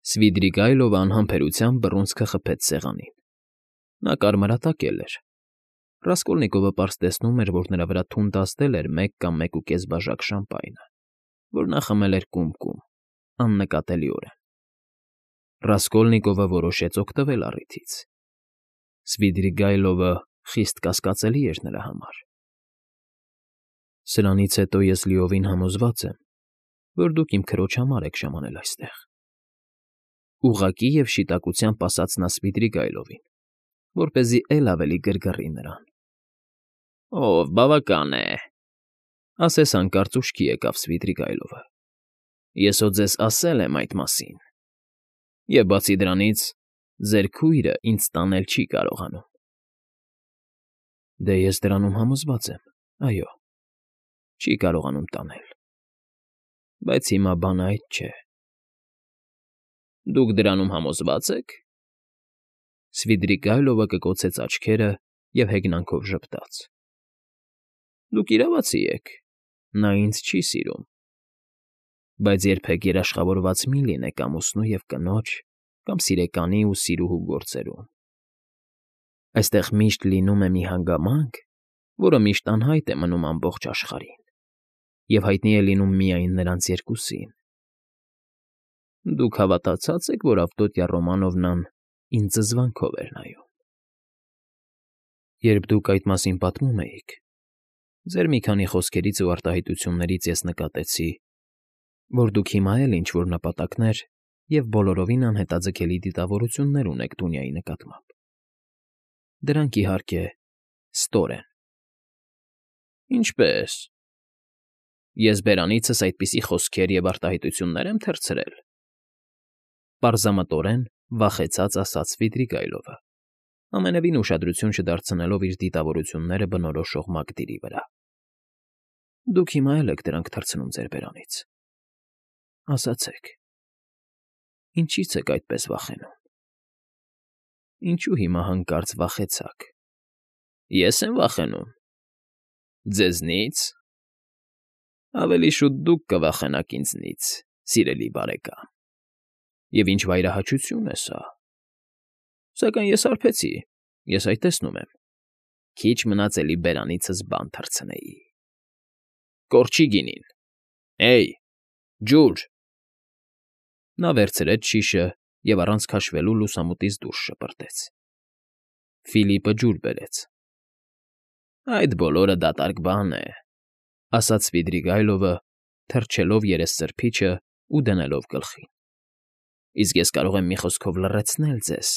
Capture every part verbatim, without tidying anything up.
Սվիդրիգայլովը անհամբերությամբ բռունցքը խփեց սեղանին. նա կարմրատակել էր։ Ռասկոլնիկովը պարզ տեսնում էր, որ նրա վրա թունդ ազդել էր մեկ կամ մեկուկես բաժակ շամպայնը, որ նա խմել էր կում֊կում, աննկատելիորեն։ Ռասկոլնիկովը որոշեց օգտվել առիթից. Սվիդրիգայլովը խիստ կասկածելի էր նրա համար։ Սրանից հետո ես լիովին համոզված եմ, որ դուք իմ քրոջ համար եք ժամանել այստեղ,֊ ուղղակի և շիտակությամբ ասաց նա Սվիդրիգայլովին, որպեսզի էլ ավելի գրգռի նրան։ ֊ Ով, բավական է,֊ ասես հանկարծ ուշքի եկավ Սվիդրիգայլովը,֊ ես հո ձեզ ասել եմ այդ մասին, և բացի դրանից, ձեր քույրը ինձ տանել չի կարողանում։ ֊ Դե, ես դրանում համոզված եմ, այո, չի կարողանում տանել, բայց հիմա բանը այդ չէ։ ֊ Դուք դրանում համոզվա՞ծ եք,֊ Սվիդրիգայլովը կկոցեց աչքերը և հեգնանքով ժպտաց։ ֊ Դուք իրավացի եք, նա ինձ չի սիրում, բայց երբեք երաշխավորված մի՛ լինեք ամուսնու և կնոջ կամ սիրեկանի ու սիրուհու գործերում։ Այստեղ միշտ լինում է մի հանգամանք, որը միշտ անհայտ է մնում ամբողջ աշխարհին և հայտնի է լինում միայն նրանց երկուսին։ Դուք հավատացած եք, որ Ավդոտյա Ռոմանովնան ինձ զզվանքով էր նայում։ Երբ դուք այդ մասին պատմում էիք, ձեր մի քանի խոսքերից ու արտահայտություններից ես նկատեցի, որ դուք հիմա էլ ինչ֊որ նպատակներ և բոլորովին անհետաձգելի դիտավորություններ ունեք Դունյայի նկատմամբ։ Դրանք, իհարկե, ստոր են։ ֊ Ինչպե՞ս։ Ես բերանիցս այդպիսի խոսքեր և արտահայտություննե՞ր եմ թռցրել,֊ պարզամտորեն վախեցած ասաց Սվիդրիգայլովը, ամենևին ուշադրություն չդարձնելով իր դիտավորությունները բնորոշող մակդիրի վրա։ ֊ Դուք հիմա էլ եք դրանք թռցնում ձեր բերանից։ Ասացեք, ինչի՞ց եք այդպես վախենում։ ֊ Ինչու հիմա հանկարծ վախեցաք։ ֊ Ե՞ս եմ վախենում։ ֊ Ձեզնի՞ց։ ֊ Ավելի շուտ դուք կվախենաք ինձնից, սիրելի բարեկամ, և ինչ վայրահաճություն է սա։ Սակայն ես հարբեցի, ես այդ տեսնում եմ, քիչ մնաց էլի բերանիցս բան թռցնեի։ Կորչի գինին, հե՜յ, ջուր… Նա վերցրեց շիշը և առանց քաշվելու լուսամուտից դուրս շպրտեց։ Ֆիլիպը ջուր բերեց։ ֊ Այդ բոլորը դատարկ բան է,֊ ասաց Սվիդրիգայլովը, թրջելով երեսսրբիչն ու դնելով գլխին,֊ իսկ ես կարող եմ մի խոսքով լռեցնել ձեզ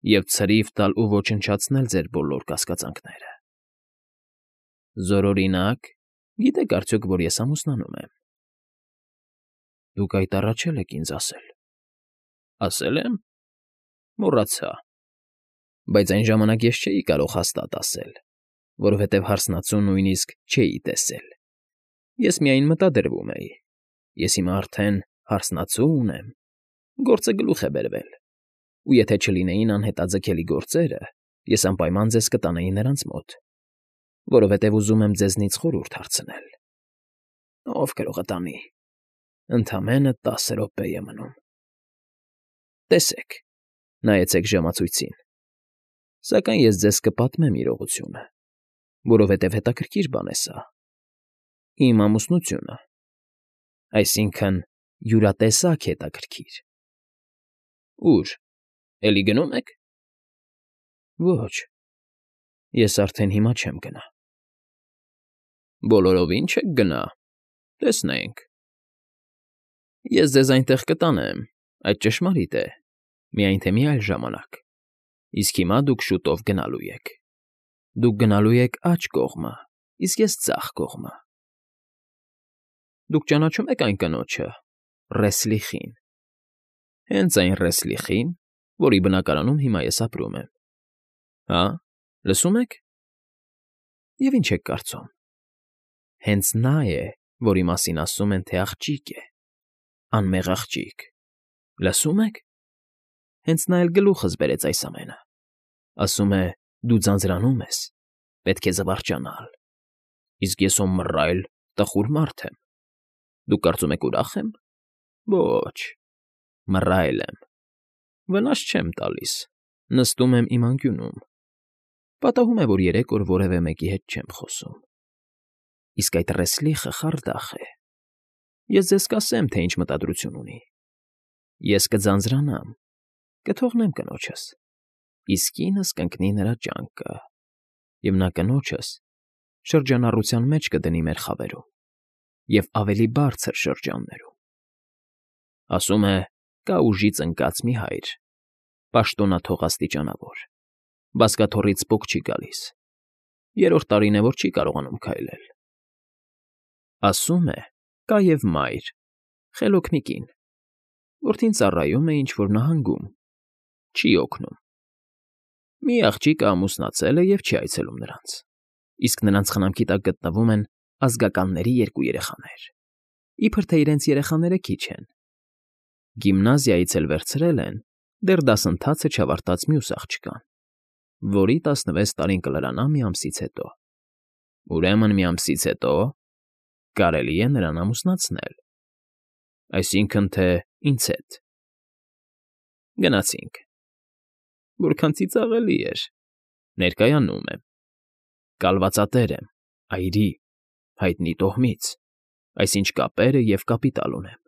և ցրիվ տալ ու ոչնչացնել ձեր բոլոր կասկածանքները։ ֊ Զորօրինակ, գիտեք արդյոք, որ ես ամուսնանում եմ։ ֊ Դուք այդ առաջ էլ եք ինձ ասել։ ֊ Ասե՞լ եմ։ Մոռացա։ Բայց այն ժամանակ ես չէի կարող հաստատ ասել, որովհետև հարսնացու նույնիսկ չէի տեսել, ես միայն մտադրվում էի. ես հիմա արդեն հարսնացու ունեմ, գործը գլուխ է բերվել, ու եթե չլինեին անհետաձգելի գործերը, ես անպայման ձեզ կտանեի նրանց մոտ, որովհետև ուզում եմ ձեզնից խորհուրդ հարցնել։ ֊ Ով կարող է տանի, ընդամենը տասը րոպե է մնում։ ֊ Տեսեք, նայեցեք ժամացույցին, սակայն ես ձեզ կպատմեմ իրողությունը, որովհետև հետաքրքիր բան է սա, իմ ամուսնությունը, այսինքն՝ յուրատեսակ հետաքրքիր։ ֊ Ո՞ւր, էլի գնո՞ւմ եք։ ֊ Ոչ, ես արդեն հիմա չեմ գնա։ ֊ Բոլորովի՞ն չեք գնա, տեսնենք։ ֊ Ես ձեզ այնտեղ կտանեմ, այդ ճշմարիտ է, միայն թե մի այլ ժամանակ, իսկ հիմա դուք շուտով գնալու եք։ Դուք գնալու եք աջ կողմը, իսկ ես՝ ձախ կողմը։ ֊ Դուք ճանաչո՞ւմ եք այն կնոջը՝ Ռեսլիխին։ ֊ Հենց այն Ռեսլիխի՞ն, որի բնակարանում հիմա ես ապրում եմ։ ֊ Հա՞, լսում եք։ ֊ Եվ ինչ եք կարծում, հենց նա է, որի մասին ասում են, թե աղջիկ է, անմեղ աղջիկ, լսո՞ւմ եք. հենց նա էլ գլուխս բերեց այս ամենը, ասում է՝ դու ձանձրանում ես, պետք է զվարճանալ, իսկ ես հո մռայլ, տխուր մարդ եմ, դուք կարծում եք ուրախ եմ։ Ոչ, Մռայլ եմ, վնաս չեմ տալիս, նստում եմ իմ անկյունում, պատահում է, որ երեք օր որևէ մեկի հետ չեմ խոսում, իսկ այդ Ռեսլիխը խարդախ է, ես ձեզ կասեմ, թե ինչ մտադրություն ունի, ես կձանձրանամ, կթողնեմ կնոջս, իսկ ինձ կընկնի նրա ճանկը, և նա կնոջս շրջանառության մեջ կդնի մեր խավերում և ավելի բարձր շրջաններում, ասում է, կա ուժից ընկած մի հայր, պաշտոնաթող աստիճանավոր, բազկաթոռից պոկ չի գալիս, երրորդ տարին է, որ չի կարողանում քայլել, ասում է, կա և մայր, խելոք մի կին, որդին ծառայում է ինչ-որ նահանգում, չի օգնում, մի աղջիկը ամուսնացել է և չի այցելում նրանց, իսկ նրանց խնամքի տակ գտնվում են ազգականների երկու երեխաներ, իբր թե իրենց երեխաները քիչ են, գիմնազիայից էլ վերցրել են դեռ դասընթացը չավարտած մյուս աղջկան, որի տասնվեց տարին կլրանա մի ամսից հետո, ուրեմն մի ամսից հետո կարելի է նրան ամուսնացնել, այսինքն թե ինձ հետ, գնացինք, որքան ծիծաղելի էր, ներկայանում եմ, կալվածատեր եմ, այրի, հայտնի տոհմից, այսինչ կապերը և կապիտալ ունեմ,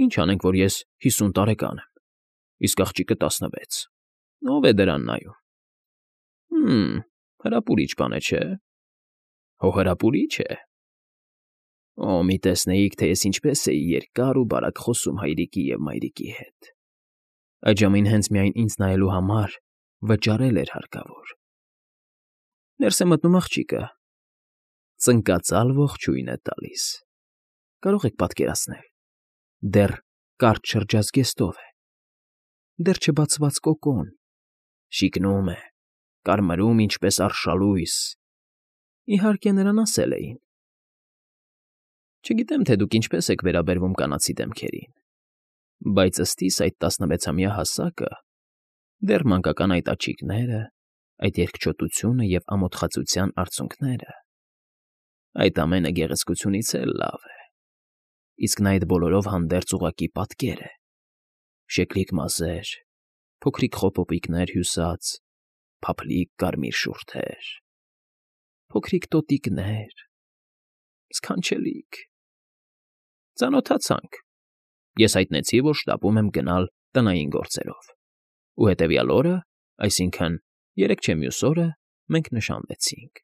ինչ անենք, որ ես հիսուն տարեկան եմ, իսկ աղջիկը տասնվեց, ով է դրան նայում, հմ, հրապուրիչ բան է, չէ՞, հո հրապուրիչ է, օ, մի տեսնեիք, թե ես ինչպես էի երկար ու բարակ խոսում հայրիկի և մայրիկի հետ, այդ ժամին հենց միայն ինձ նայելու համար վճարել էր հարկավոր, ներս է մտնում աղջիկը, ծնկածալ ողջույն է տալիս, կարող եք պատկերացնել, դեռ կարճ շրջած գեստով է, դեռ չբացված կոկոն, շիկնում է, կարմրում ինչպես արշալույս, իհարկե նրան ասել էին, չգիտեմ, թե դուք ինչպես եք վերաբերվում կանացի դեմքերին, բայց ըստիս այդ տասնվեցամյա հասակը, դեռ մանկական այդ աչիկները, այդ երկչոտությունը և ամոթխածության արցունքները, այդ ամենը գեղեցկությունից էլ լավ է, իսկ նա այդ բոլորով հանդերձ ուղղակի պատկեր է, շեկլիկ մազեր, փոքրիկ խոպոպիկներ հյուսած, փափլիկ կարմիր շուրթեր, փոքրիկ տոտիկներ, սքանչելիք, ծանոթացանք, ես հայտնեցի, որ շտապում եմ գնալ տնային գործերով, ու հետևյալ օրը, այսինքն երեկ չէ մյուս օրը մենք նշանվեցինք,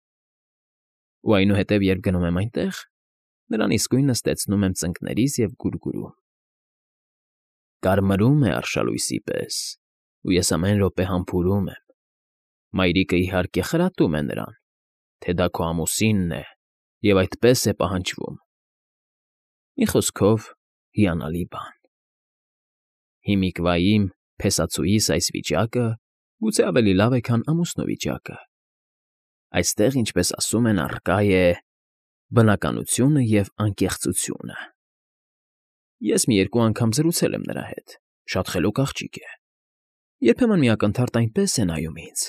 ու այնուհետև երբ գնում եմ այնտեղ, նրան իսկույն նստեցնում եմ ծնկներիս և գուրգուրում, կարմրում է արշալույսի պես, ու ես ամեն րոպե համբուրում եմ, մայրիկը իհարկե խրատում է նրան, թե դա քո ամուսինն է և այդպես է պահանջվում, մի խոսքով հիանալի բան, հիմիկվա իմ փեսացուիս այս վիճակը գուցե ավելի լավ է, քան ամուսնու վիճակը, այստեղ, ինչպես ասում են, առկա է բնականությունը և անկեղծությունը, ես մի երկու անգամ զրուցել եմ նրա հետ, շատ խելոք աղջիկ է, երբեմն մի ակնթարթ այնպես է նայում ինձ,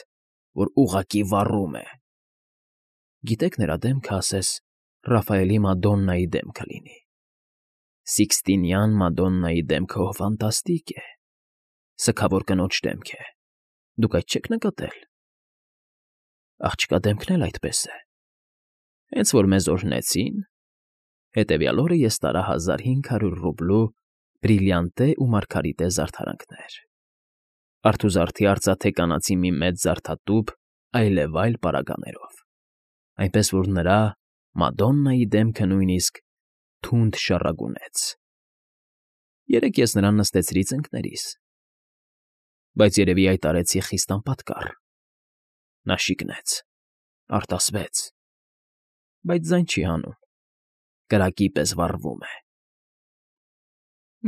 որ ուղղակի վառում է, գիտեք նրա դեմքը ասես Ռաֆայելի Մադոննայի դեմքը լինի, Սիկստինյան Մադոննայի դեմքը հո ֆանտաստիկ է, սգավոր կնոջ դեմք է, դուք այդ չեք նկատել, աղջկա դեմքն էլ այդպես է, հենց որ մեզ օրհնեցին, հետևյալ օրը ես տարա հազար հինգ հարյուր ռուբլու բրիլիանտե ու մարգարիտե զարդարանքներ, արթուզարդի արծաթե կանացի մի մեծ զարդատուփ այլևայլ պարագաներով, այնպես որ նրա Մադոննայի դեմքը նույնիսկ թունդ շառագունեց, երեկ ես նրան նստեցրի ծնկներիս, բայց երևի այդ արեցի խիստ անպատկառ, նա շիկնեց, արտասվեց, բայց ձայն չի հանում, կրակի պես վառվում է,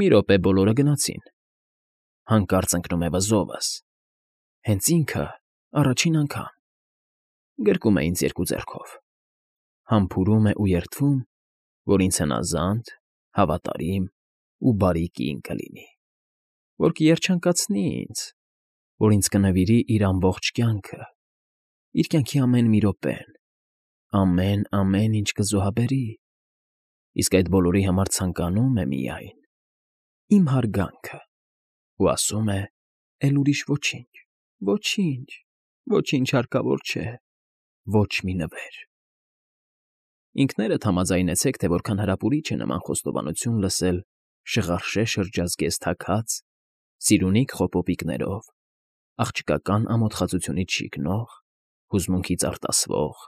մի րոպե բոլորը գնացին, հանկարծ ընկնում է վզովս, հենց ինքը առաջին անգամ, գրկում է ինձ երկու ձեռքով, համբուրում է ու երդվում, որ ինձ հնազանդ, հավատարիմ ու բարի կին կլինի, որ կերջանկացնի ինձ, որ ինձ կնվիրի իր ամբողջ կյանքը, իր կյանքի ամեն մի րոպեն, ամեն, ամեն ինչ կզոհաբերի, իսկ այդ բոլորի համար ցանկանում է միայն իմ հարգանքը, ու ասում է. «Էլ ուրիշ ոչինչ, ոչինչ, ոչինչ հարկավոր չէ, ոչ մի նվեր»։ Ինքներդ համաձայնեցեք, թե որքան հրապուրիչ է նման խոստովանություն լսել շղարշե շրջազգեստ թագած, սիրունիկ խոպոպիկներով, աղջկական ամոթխածությունից շիկնող, հուզմունքից արտասվող,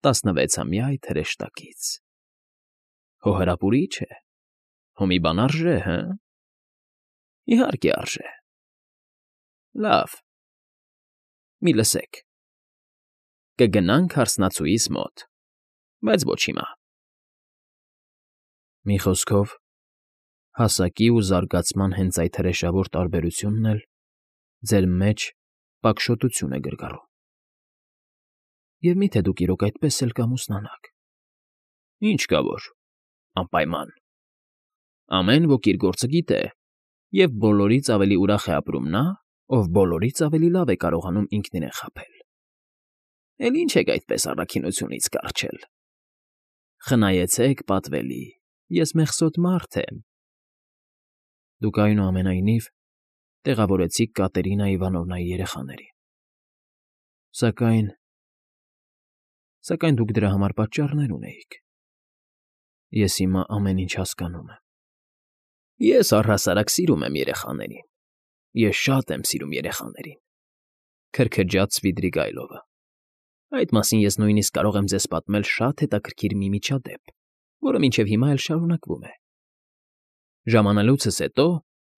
տասնվեցամյա այդ հրեշտակից։ Հո հրապուրիչ է, հո մի բան արժե, հը՞։ Իհարկե արժե։ Լավ, մի լսեք. կգնանք հարսնացուիս մոտ, բայց ոչ հիմա։ Մի խոսքով, հասակի ու զարգացման հենց այդ հրեշավոր տարբերությունն էլ ձեր մեջ պակշոտություն է գրգռում։ Եվ մի՞թե դուք իրոք այդպես էլ կամուսնանաք։ Ինչ կա որ, անպայման։ Ամեն ոք իր գործը գիտե, և բոլորից ավելի ուրախ է ապրում նա, ով բոլորից ավելի լավ է կարողանում ինքն իրեն խաբել։ Էլ ինչ եք այդպես առաքինությունից կառչել։ Խնայեցեք, պատվելի, ես մեղսոտ մարդ եմ։ Դուք, այնուամենայնիվ, տեղավորեցիք Կատերինա Իվանովնայի երեխաներին։ Սակայն… Սակայն դուք դրա համար պատճառներ ունեիք։ Ես հիմա ամեն ինչ հասկանում եմ։ Ես առհասարակ սիրում եմ երեխաներին։ Ես շատ եմ սիրում երեխաներին,֊ քրքջաց Սվիդրիգայլովը։ Այդ մասին ես նույնիսկ կարող եմ ձեզ պատմել շատ հետաքրքիր մի միջադեպ, որը մինչև հիմա էլ շարունակվում է։ Ժամանելուցս հետո,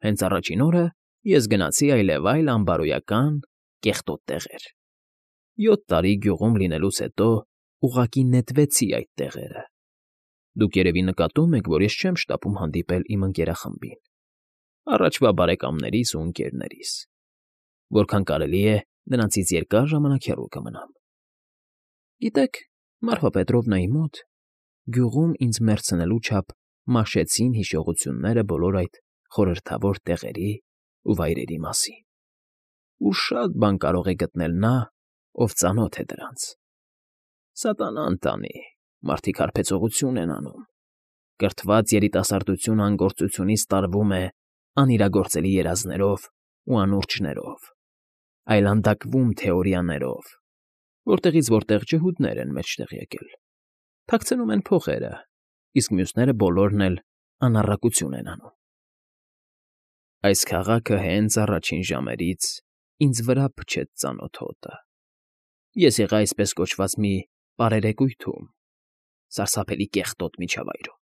հենց առաջին օրը, ես գնացի այլևայլ անբարոյական, կեղտոտ տեղեր։ Յոթ տարի գյուղում լինելուց հետո ուղղակի նետվեցի այդ տեղերը։ Դուք երևի նկատում եք, որ ես չեմ շտապում հանդիպել իմ ընկերախմբին, առաջվա բարեկամներիս ու ընկերներիս, որքան կարելի է նրանցից երկար ժամանակ հեռու կմնամ։ Գիտեք, Մարֆա Պետրովնայի մոտ գյուղում ինձ մերձնելու չափ մաշեցին հիշողությունները բոլոր այդ խորհրդավոր տեղերի ու վայրերի մասին, ու շատ բան կարող է գտնել նա, ով ծանոթ է դրանց։ Սատանան տանի, մարդիկ հարբեցողություն են անում, կրթված երիտասարդությունը անգործությունից տարվում է անիրագործելի երազներով ու անուրջներով, այլանդակվում թեորիաներով, որտեղից որտեղ ջհուդներ են մեջտեղ եկել, թաքցնում են փողերը, իսկ մյուսները բոլորն էլ անառակություն են անում։ Այս քաղաքը հենց առաջին ժամերից ինձ վրա փչեց ծանոթ հոտը։ Ես եղա այսպես կոչված մի պարերեկույթում, սարսափելի կեղտոտ միջավայրում,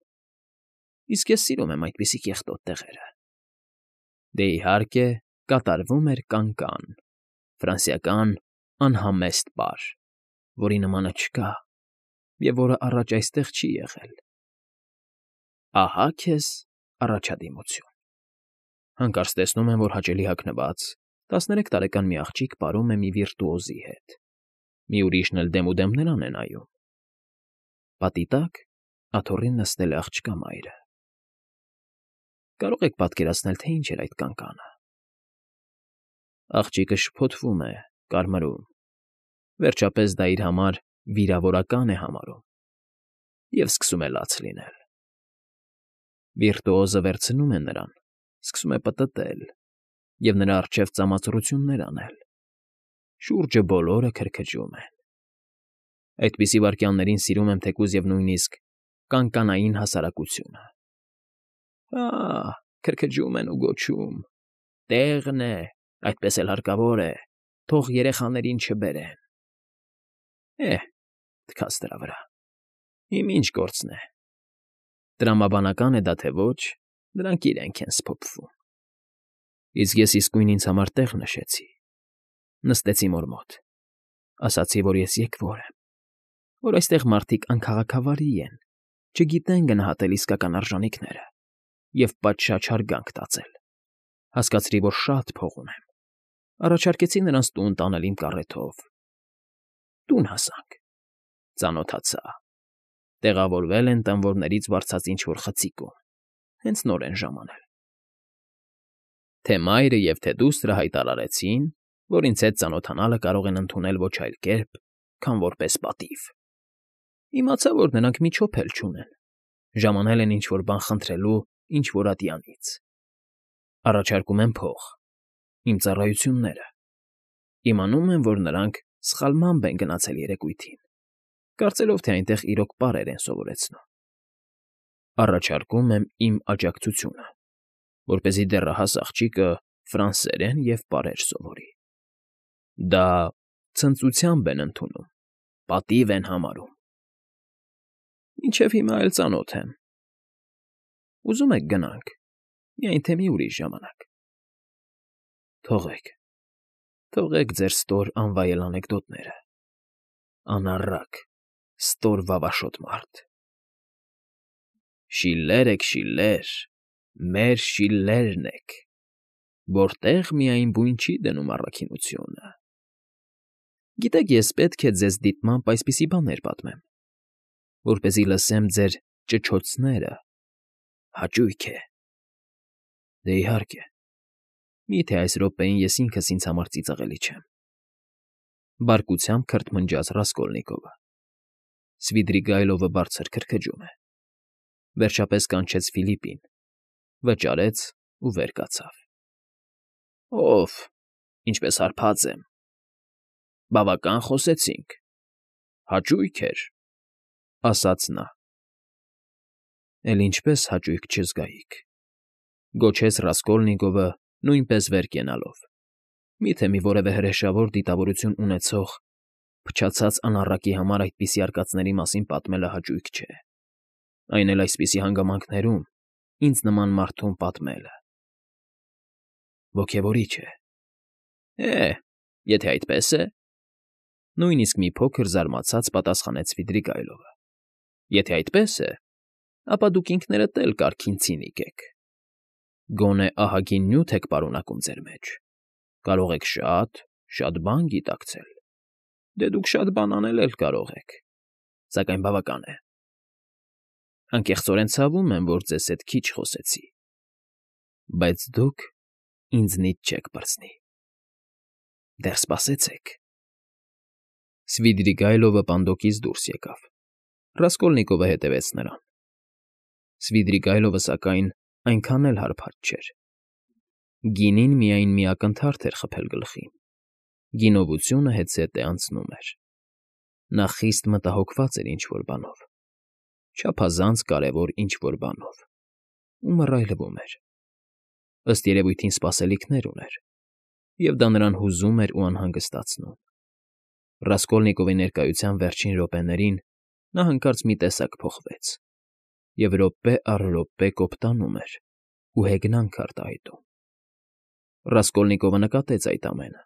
իսկ ես սիրում եմ այդպիսի կեղտոտ տեղերը։ Դե, իհարկե, կատարվում էր կան֊կան, ֆրանսիական անհամեստ պար, որի նմանը չկա և որը առաջ այստեղ չի եղել։ Ահա քեզ առաջադիմություն։ Հանկարծ տեսնում եմ, որ հաճելի հագնված, տասներեք տարեկան մի աղջիկ պարում է մի վիրտուոզի հետ, մի ուրիշն էլ դեմուդեմ նրան է նայում։ Պատի տակ աթոռին նստել է աղջկա մայրը։ Կարո՞ղ եք պատկերացնել, թե ինչ էր այդ կանկանը։ Աղջիկը շփոթվում է, կարմրում, վերջապես դա իր համար վիրավորական է համարում և սկսում է լաց լինել։ Վիրտուոզը վերցնում է նրան, սկսում է պտտել և նրա առջև ծամածռություններ անել։ Շուրջը բոլորը քրքջում են։ Այդպիսի վայրկյաններին սիրում եմ թեկուզ և նույնիսկ կանկանային հասարակությունը։ Հա՜, քրքջում են ու գոչում. «Տեղն է, այդպես էլ հարկավոր է, թող երեխաներին չբերեն»։ Է՜հ, թքած դրա վրա, իմ ինչ գործն է։ Տրամաբանական է դա թե ոչ, դրանք իրենք են սփոփվում։ Իսկ ես իսկույն ինձ համար տեղ նշեցի, նստեցի մոր մոտ, ասացի, որ ես եկվոր եմ, որ այստեղ մարդիկ անքաղաքավարի են, չգիտեն գնահատել իսկական արժանիքները և պատշաճ հարգանք տածել։ Հասկացրի, որ շատ փող ունեմ, առաջարկեցի նրանց տուն տանել իմ կառեթով։ Տուն հասանք, ծանոթացա, տեղավորվել են տանվորներից վարձած ինչ֊որ խցիկում, հենց նոր են ժամանել։ Թե մայրը և թե դուստրը հայտարարեցին, որ ինձ հետ ծանոթանալը կարող են ընդունել ոչ այլ կերպ, քան որպես պատիվ։ Իմացա, որ նրանք մի չոփ էլ չունեն, ժամանել են ինչ֊որ բան խնդրելու ինչ֊որ ատյանից։ Առաջարկում եմ փող, իմ ծառայությունները։ Իմանում եմ, որ նրանք սխալմամբ են գնացել երեկույթին, կարծելով, թե այնտեղ իրոք պարեր են սովորեցնում։ Առաջարկում եմ իմ աջակցությունը, որպեսզի դեռահաս աղջիկը ֆրանսերեն և պարեր սովորի։ Դա ցնծությամբ են ընդունում, պատիվ են համարում։ Մինչև հիմա էլ ծանոթ եմ։ Ուզում եք գնանք, միայն թե մի ուրիշ ժամանակ։ Թողեք, թողեք ձեր ստոր անվայել անեկդոտները, անառակ, ստոր վավաշոտ մարդ։ Շիլլեր եք, Շիլլեր, մեր Շիլլերն եք, որտեղ միայն բույն չի դնում առաքինությունը։ Գիտեք, ես պետք է ձեզ դիտմամբ այսպիսի բաներ պատմեմ, որպեսզի լսեմ ձեր ճչոցները, հաճույք է։ Դե իհարկե, միթե այս րոպեին ես ինքս ինձ համար ծիծաղելի չեմ։ Բարկությամբ քրթմնջաց Ռասկոլնիկովը։ Սվիդրիգայլովը բարձր քրքջում է։ Վերջապես կանչեց Ֆիլիպին, վճարեց ու վեր կացավ։ Ով, ինչպես հարբած եմ։ Բավական խոսեցինք, հաճույք էր, ասաց նա։ Էլ ինչպես հաճույք չզգայիք, գոչեց Ռասկոլնիկովը նույնպես վեր կենալով։ Միթե մի որևէ հրեշավոր դիտավորություն ունեցող փչացած անառակի համար այդպիսի արկածների մասին պատմելը հաճույք չէ, այն էլ այսպիսի հանգամանքներում ինձ նման մարդուն պատմելը։ Ոգևորիչ է։ Է, եթե այդպես է, նույնիսկ մի փոքր զարմացած պատասխանեց Սվիդրիգայլովը։ Եթե այդպես է, ապա դուք ինքներդ էլ կարգին ցինիկ եք։ Գոնե ահագին նյութ եք պարունակում ձեր մեջ, կարող եք շատ, շատ բան գիտակցել, դե դուք շատ բան անել էլ կարող եք, սակայն բավական է։ Անկեղծորեն ցավում եմ, որ ձեզ հետ քիչ խոսեցի, բայց դուք ինձնից չեք պրծնի։ Դեռ սպասեցեք։ Սվիդրիգայլովը պանդոկից դուրս եկավ։ Ռասկոլնիկովը հետևեց նրան։ Սվիդրիգայլովը, սակայն, այնքան էլ հարբած չէր։ Գինին միայն մի ակնթարթ էր խփել գլխին։ Գինովությունը հետզհետե անցնում էր։ Նա խիստ մտահոգված էր ինչ֊որ բանով, չափազանց կարևոր ինչ֊որ բանով, ու մռայլվում էր։ Ըստ երևույթին սպասելիքներ ուներ, և դա նրան հուզում էր ու անհանգստացնում։ Ռասկոլնիկովի ներկայության վերջին րոպեներին նա հանկարծ մի տեսակ փոխվեց, և րոպե առ րոպե կոպտանում էր ու հեգնանք արտահայտում։ Ռասկոլնիկովը նկատեց այդ ամենը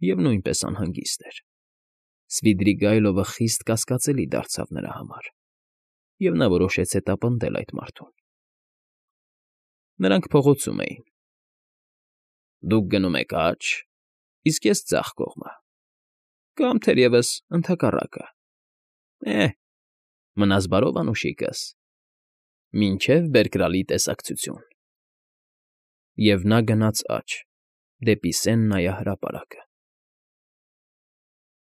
և նույնպես անհանգիստ էր։ Սվիդրիգայլովը խիստ կասկածելի դարձավ նրա համար, և նա որոշեց հետապնդել այդ մարդուն։ Նրանք փողոցում էին։ Դուք գնում եք աջ, իսկ ես ձախ կողմը, կամ թերևս ընդհակառակը։ Է, մնաս բարով, անուշիկս, մինչև բերկրալի տեսակցություն։ Եվ նա գնաց աջ, դեպի Սեն նայահրապարակը։